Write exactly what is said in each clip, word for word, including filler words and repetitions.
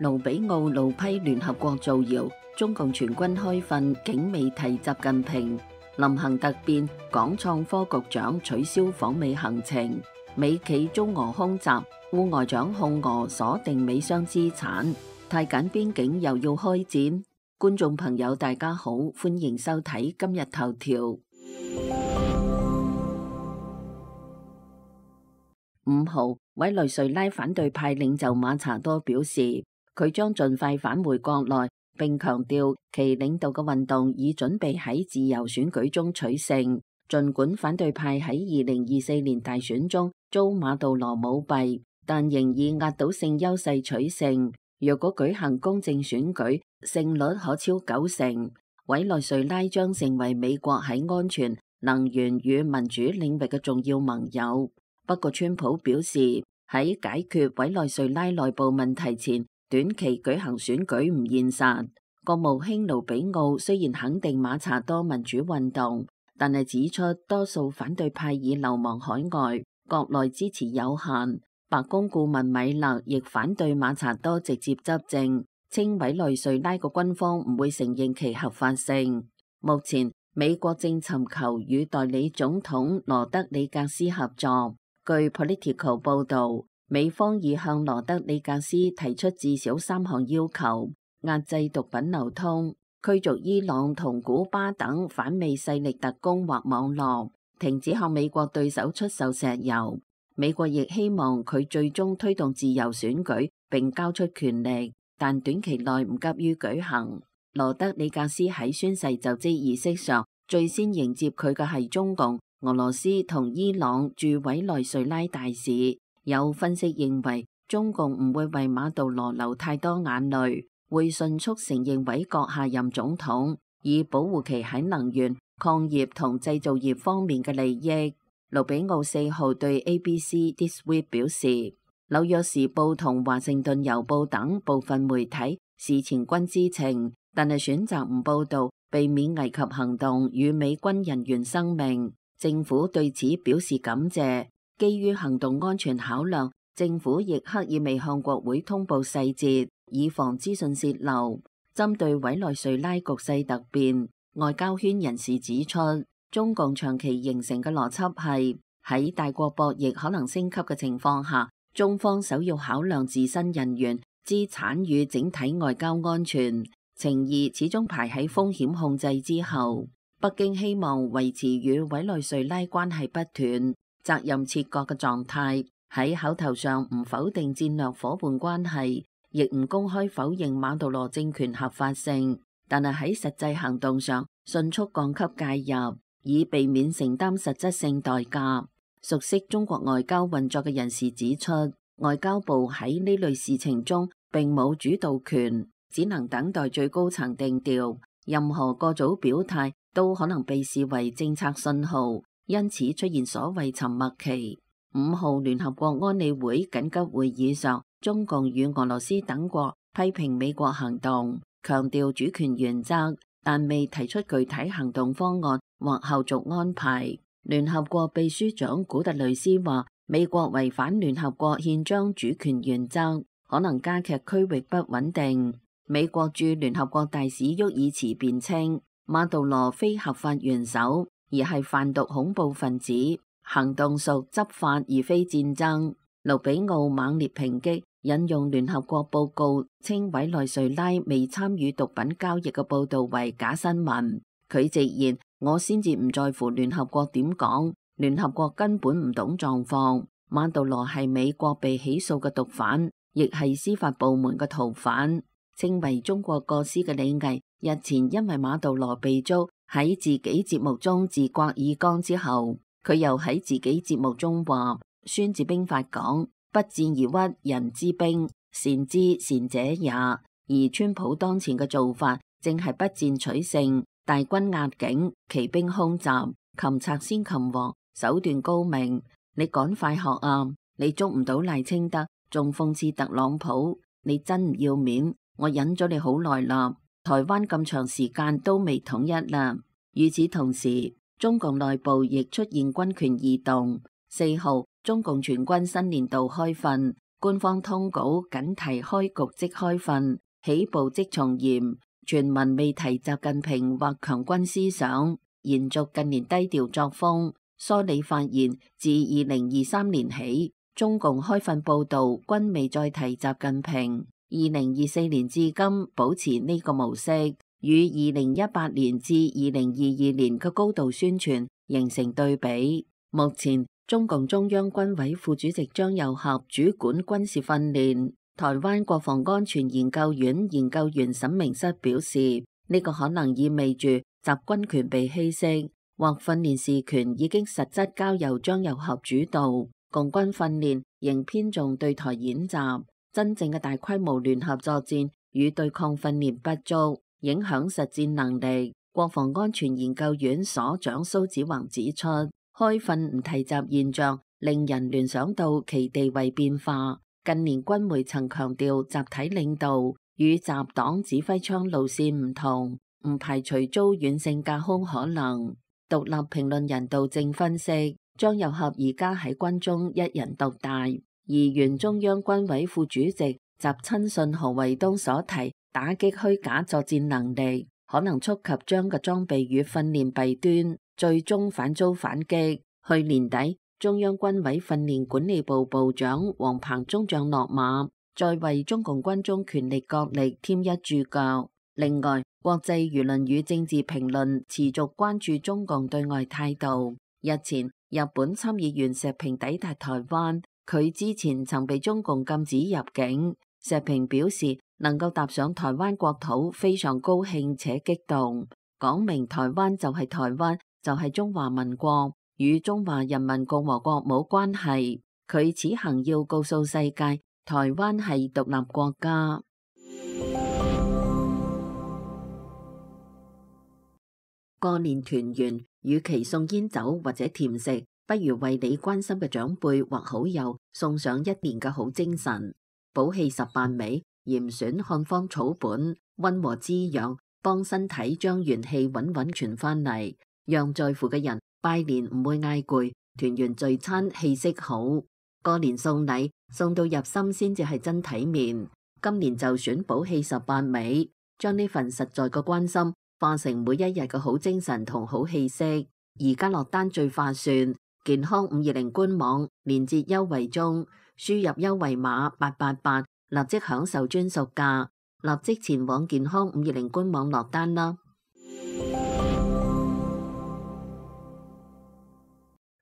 盧比奧怒批聯合國造謠，中共全軍開訓竟未提習近平。臨行突變，港創科局長取消訪美行程。美企遭俄空襲，副外長控俄鎖定美商資產。泰柬邊境又要開戰。觀眾朋友大家好，歡迎收睇今日頭條。五號，委內瑞拉反對派領袖馬查多表示，佢將盡快返回國內，並強調其領導嘅運動已準備喺自由選舉中取勝。儘管反對派喺二零二四年大選中遭馬杜羅舞弊，但仍以壓倒性優勢取勝。若果舉行公正選舉，勝率可超九成。委內瑞拉將成為美國喺安全、能源與民主領域嘅重要盟友。不過，川普表示喺解決委內瑞拉內部問題前，短期舉行選舉唔現實。國務卿盧比奧雖然肯定馬查多民主運動，但係指出多數反對派已流亡海外，國內支持有限。白宮顧問米勒亦反對馬查多直接執政，稱委內瑞拉個軍方唔會承認其合法性。目前美國正尋求與代理總統羅德里格斯合作。據 Politico 報導，美方已向羅德里格斯提出至少三項要求：壓制毒品流通、驅逐伊朗同古巴等反美勢力特工或網絡、停止向美國對手出售石油。美國亦希望佢最終推動自由選舉並交出權力，但短期內唔急於舉行。羅德里格斯喺宣誓就職儀式上，最先迎接佢嘅係中共、俄羅斯同伊朗駐委內瑞拉大使。有分析認為，中共唔會為馬杜羅流太多眼淚，會迅速承認委國下任總統，以保護其喺能源、礦業同製造業方面嘅利益。盧比奧四號對 A B C This Week 表示，紐約時報同華盛頓郵報等部分媒體事前均知情，但係選擇唔報導，避免危及行動與美軍人員生命。政府對此表示感謝。基於行動安全考量，政府亦刻意未向國會通報細節，以防資訊洩漏。針對委內瑞拉局勢突變，外交圈人士指出，中共長期形成嘅邏輯係喺大國博弈可能升級嘅情況下，中方首要考量自身人員、資產與整體外交安全，情誼始終排喺風險控制之後。北京希望維持與委內瑞拉關係不斷、責任切割嘅狀態，喺口頭上唔否定戰略夥伴關係，亦唔公開否認馬杜羅政權合法性，但係喺實際行動上迅速降級介入，以避免承擔實質性代價。熟悉中國外交運作嘅人士指出，外交部喺呢類事情中並冇主導權，只能等待最高層定調，任何過早表態都可能被視為政策信號，因此出現所謂沉默期。五號聯合國安理會緊急會議上，中共與俄羅斯等國批評美國行動，強調主權原則，但未提出具體行動方案或後續安排。聯合國秘書長古特雷斯話，美國違反聯合國憲章主權原則，可能加劇區域不穩定。美國駐聯合國大使沃爾茨辯稱，馬杜羅非合法元首，而係販毒恐怖分子，行動屬執法而非戰爭。盧比奧猛烈抨擊引用聯合國報告稱委內瑞拉未參與毒品交易嘅報道為假新聞。佢直言，我先至唔在乎聯合國點講，聯合國根本唔懂狀況。馬杜羅係美國被起訴嘅毒販，亦係司法部門嘅逃犯。稱為中國過失嘅李毅日前因為馬杜羅被捉喺自己節目中自刮耳光之後，佢又喺自己節目中話，孫子兵法講，不戰而屈人之兵，善之善者也。而川普當前嘅做法正係不戰取勝，大軍壓境，騎兵空襲，擒賊先擒王，手段高明。你趕快學啊！你捉唔到賴清德，仲諷刺特朗普，你真唔要面！我忍咗你好耐啦，台灣咁長時間都未統一啦。與此同時，中共內部亦出現軍權異動。四號，中共全軍新年度開訓，官方通稿僅提開局即開訓，起步即從嚴，全文未提習近平或強軍思想，延續近年低調作風。梳理發現，自二零二三年起，中共開訓報道均未再提習近平。二零二四年至今保持呢個模式，與二零一八年至二零二二年嘅高度宣傳形成對比。目前，中共中央軍委副主席張又俠主管軍事訓練。台灣國防安全研究院研究員沈明室表示，呢、這個可能意味住習軍權被稀釋，或訓練事權已經實質交由張又俠主導。共軍訓練仍偏重對台演習，真正嘅大規模聯合作戰與對抗訓練不足，影響實戰能力。國防安全研究院所長蘇子宏指出，開訓唔提習現象令人聯想到其地位變化。近年軍媒曾強調集體領導與習黨指揮槍路線唔同，唔排除遭軟性架空可能。獨立評論人道正分析，張又俠而家喺軍中一人獨大，而原中央軍委副主席習親信何衛東所提打擊虛假作戰能力，可能觸及張嘅裝備與訓練弊端，最終反遭反擊。去年底，中央軍委訓練管理部部長王鵬中將落馬，再為中共軍中權力角力添一注腳。另外，國際輿論與政治評論持續關注中共對外態度。日前，日本參議員石平抵達台灣，佢之前曾被中共禁止入境。石平表示，能夠踏上台灣國土非常高興且激動，講明台灣就係台灣，就係中華民國，與中華人民共和國冇關係。佢此行要告訴世界，台灣係獨立國家。過年團圓，與其送煙酒或者甜食，不如為你關心嘅長輩或好友送上一年嘅好精神。補氣十八味，嚴選漢方草本，溫和滋養，幫身體將元氣穩穩傳翻嚟，讓在乎嘅人拜年唔會嗌攰，團圓聚餐氣息好。過年送禮送到入心先至係真體面。今年就選補氣十八味，將呢份實在嘅關心化成每一日嘅好精神同好氣息。而家落單最划算，健康五二零官網連結優惠中，輸入優惠碼八八八，立即享受專屬價，立即前往健康五二零官網落單啦。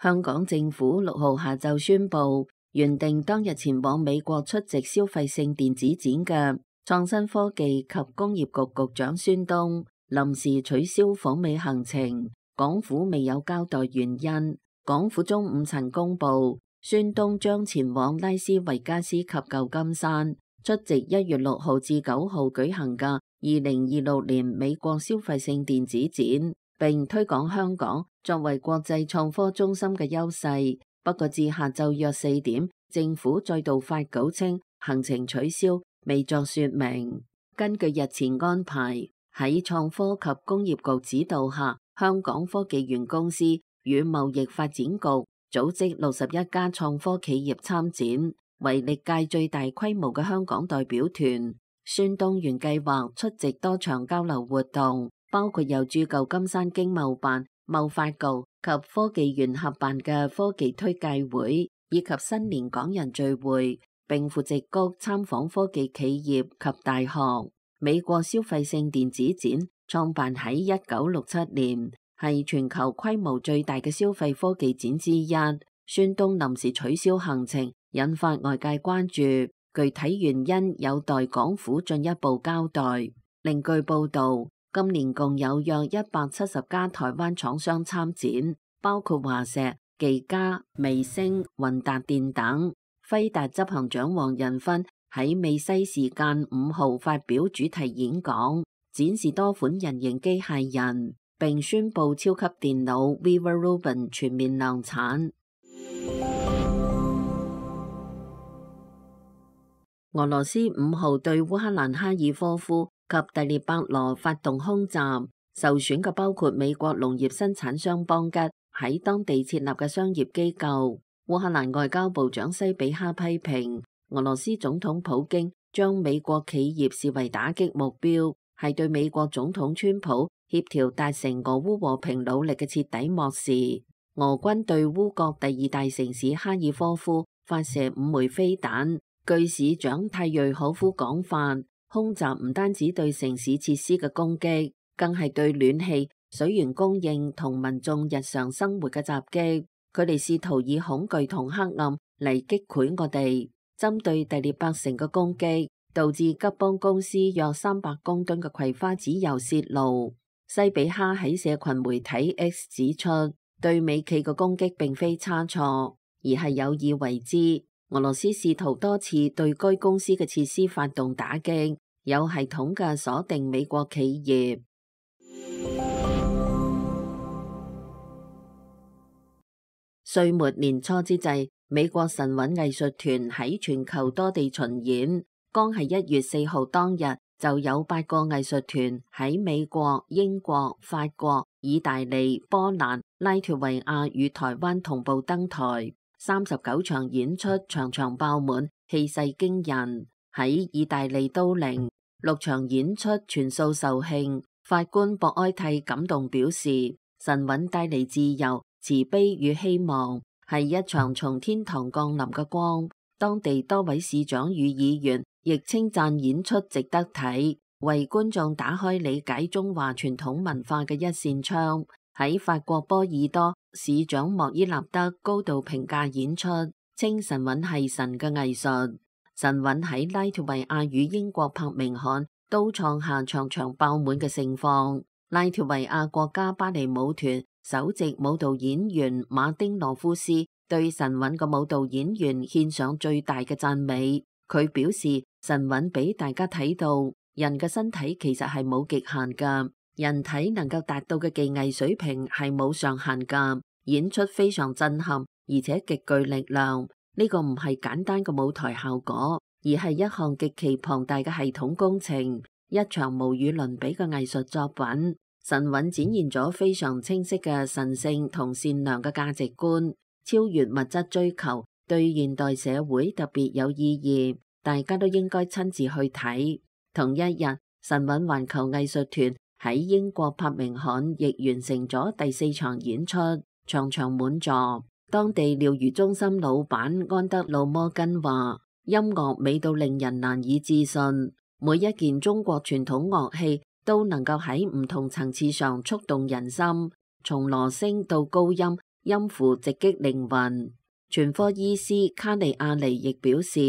香港政府六號下晝宣布，原定當日前往美國出席消費性電子展嘅創新科技及工業局局長孫東臨時取消訪美行程，港府未有交代原因。港府中午曾公布，孫東將前往拉斯維加斯及舊金山出席一月六號至九號舉行嘅二零二六年美國消費性電子展，並推廣香港作為國際創科中心嘅優勢。不過至下晝約四點，政府再度發稿稱行程取消，未作說明。根據日前安排，喺創科及工業局指導下，香港科技園公司與貿易發展局組織六十一家創科企業參展，為歷屆最大規模嘅香港代表團。孫東原計劃出席多場交流活動，包括由駐舊金山經貿辦、貿發局及科技園合辦嘅科技推介會，以及新年港人聚會，並赴矽谷參訪科技企業及大學。美國消費性電子展創辦喺一九六七年，係全球規模最大嘅消費科技展之一。孫東臨時取消行程，引發外界關注，具體原因有待港府進一步交代。另據報道，今年共有約一百七十家台灣廠商參展，包括華碩、技嘉、微星、雲達電等。輝達執行長黃仁勳喺美西時間五號發表主題演講，展示多款人形機械人，並宣布超級電腦 Viva Rubin 全面量產。俄羅斯五號對烏克蘭哈爾科夫及第聶伯羅發動空襲，受損嘅包括美國農業生產商邦吉喺當地設立嘅商業機構。烏克蘭外交部長西比哈批評俄羅斯總統普京將美國企業視為打擊目標，係對美國總統川普協調達成俄烏和平努力嘅徹底漠視。俄軍對烏國第二大城市哈爾科夫發射五枚飛彈，據市長泰瑞可夫講法，空襲唔單止對城市設施嘅攻擊，更係對暖氣、水源供應同民眾日常生活嘅襲擊。佢哋試圖以恐懼同黑暗嚟擊潰我哋。針對第聶伯城嘅攻擊，導致吉邦公司約三百公噸嘅葵花籽油洩露。西比哈喺社群媒體 X 指出，對美企嘅攻擊並非差錯，而係有意為之。俄羅斯試圖多次對該公司嘅設施發動打擊，有系統嘅鎖定美國企業。歲末年初之際，美國神韻藝術團喺全球多地巡演。剛係一月四號當日，就有八個藝術團喺美國、英國、法國、意大利、波蘭、拉脫維亞與台灣同步登台。三十九場演出，場場爆滿，氣勢驚人。喺意大利都靈，六場演出全數售罄。法官博埃蒂感動表示，神韻帶嚟自由、慈悲與希望，係一場從天堂降臨嘅光。當地多位市長與議員亦稱讚演出值得睇，為觀眾打開理解中華傳統文化嘅一扇窗。喺法國波爾多，市長莫伊納德高度評價演出，稱神韻係神嘅藝術。神韻喺拉脫維亞與英國伯明翰都創下場場爆滿嘅盛況。拉脫維亞國家芭蕾舞團首席舞蹈演員馬丁羅夫斯對神韻嘅舞蹈演員獻上最大嘅讚美。佢表示，神韻俾大家睇到，人嘅身體其實係冇極限㗎，人體能夠達到嘅技藝水平係冇上限㗎。演出非常震撼，而且極具力量。呢個唔係簡單嘅舞台效果，而係一項極其龐大嘅系統工程，一場無與倫比嘅藝術作品。神韻展現咗非常清晰嘅神聖同善良嘅價值觀，超越物質追求，對現代社會特別有意義，大家都應該親自去睇。同一日，神韻環球藝術團喺英國伯明翰亦完成咗第四場演出，場場滿座。當地療癒中心老闆安德魯摩根話，音樂美到令人難以置信，每一件中國傳統樂器都能夠喺唔同層次上觸動人心，從螺聲到高音，音符直擊靈魂。全科醫師卡利亞尼亦表示，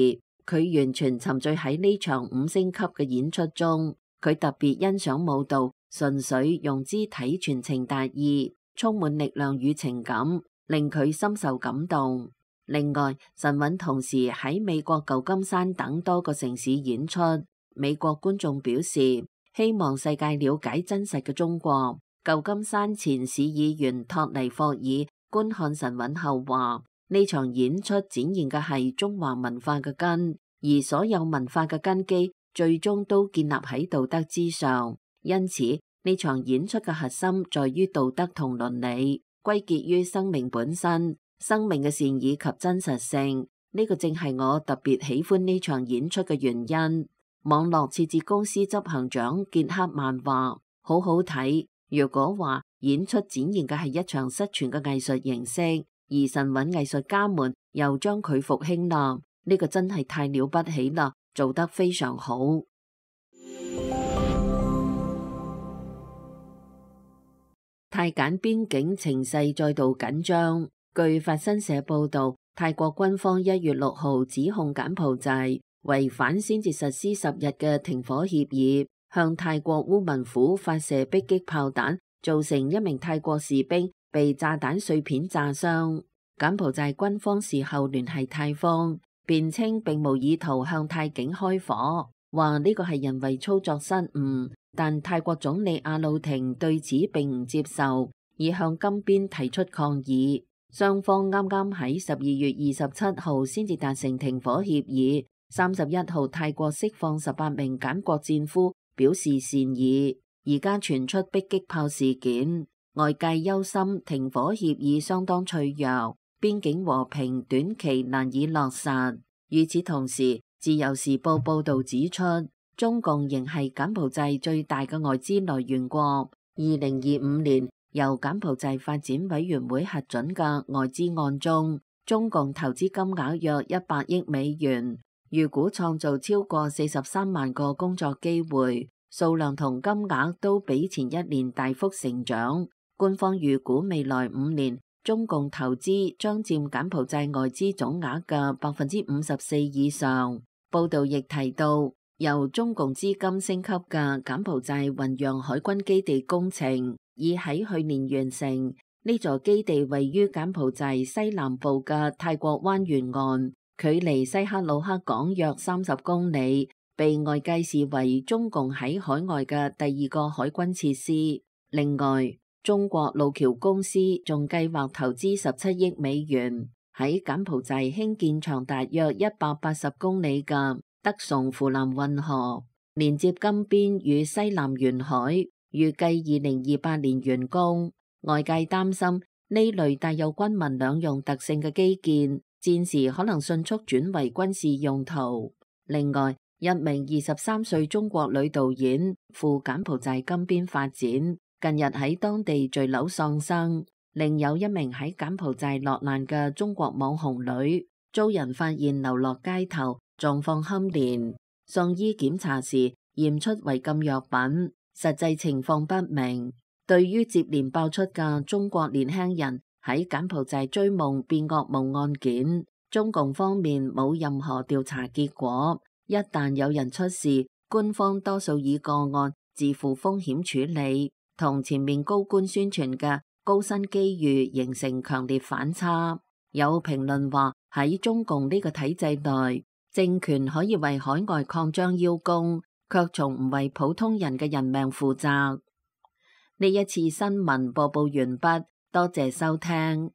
佢完全沉醉喺呢場五星級嘅演出中，佢特別欣賞舞蹈，純粹用肢體傳情達意，充滿力量與情感，令佢深受感動。另外，神韻同時喺美國舊金山等多個城市演出，美國觀眾表示希望世界了解真實嘅中國。舊金山前市議員托尼霍爾觀看神韻後話，呢場演出展現嘅係中華文化嘅根，而所有文化嘅根基最終都建立喺道德之上。因此，呢場演出嘅核心在於道德同倫理，歸結於生命本身，生命嘅善意及真實性。呢個正係我特別喜歡呢場演出嘅原因。網絡設置公司執行長傑克曼話：好好睇。如果話演出展現嘅係一場失傳嘅藝術形式，而神韻藝術家們又將佢復興啦，呢個真係太了不起啦，做得非常好。泰柬邊境情勢再度緊張。據法新社報道，泰國軍方一月六號指控柬埔寨違反先至實施十日嘅停火協議，向泰國烏汶府發射迫擊炮彈，造成一名泰國士兵被炸彈碎片炸傷。柬埔寨軍方事後聯繫泰方，辯稱並無意圖向泰警開火，話呢個係人為操作失誤。但泰國總理阿魯廷對此並唔接受，已向金邊提出抗議。雙方啱啱喺十二月二十七號先至達成停火協議。三十一號泰國釋放十八名柬國戰俘，表示善意。而家傳出迫擊炮事件，外界憂心停火協議相當脆弱，邊境和平短期難以落實。與此同時，自由時報報導指出，中共仍係柬埔寨最大嘅外資來源國。二零二五年由柬埔寨發展委員會核准嘅外資案中，中共投資金額約一百億美元，預估創造超過四十三萬個工作機會，數量同金額都比前一年大幅成長。官方預估未來五年，中共投資將佔柬埔寨外資總額嘅百分之五十四以上。報道亦提到，由中共資金升級嘅柬埔寨雲陽海軍基地工程已喺去年完成。呢座基地位於柬埔寨西南部嘅泰國灣沿岸，距離西克魯克港約三十公里，被外界視為中共喺海外嘅第二個海軍設施。另外，中國路橋公司仲計劃投資十七億美元喺柬埔寨興建長達約一百八十公里嘅德崇扶南運河，連接金邊與西南沿海，預計二零二八年完工。外界擔心呢類帶有軍民兩用特性嘅基建，戰時可能迅速轉為軍事用途。另外，一名二十三歲中國女導演赴柬埔寨金邊發展，近日喺當地墜樓喪生。另有一名喺柬埔寨落難嘅中國網紅女，遭人發現流落街頭，狀況堪憐。送醫檢查時驗出違禁藥品，實際情況不明。對於接連爆出嘅中國年輕人喺柬埔寨追夢變噩夢案件，中共方面冇任何調查結果。一旦有人出事，官方多數以個案自負風險處理，同前面高官宣傳嘅高新機遇形成強烈反差。有評論話，喺中共呢個體制內，政權可以為海外擴張邀功，卻從唔為普通人嘅人命負責。呢一次新聞播報完畢，多謝收聽。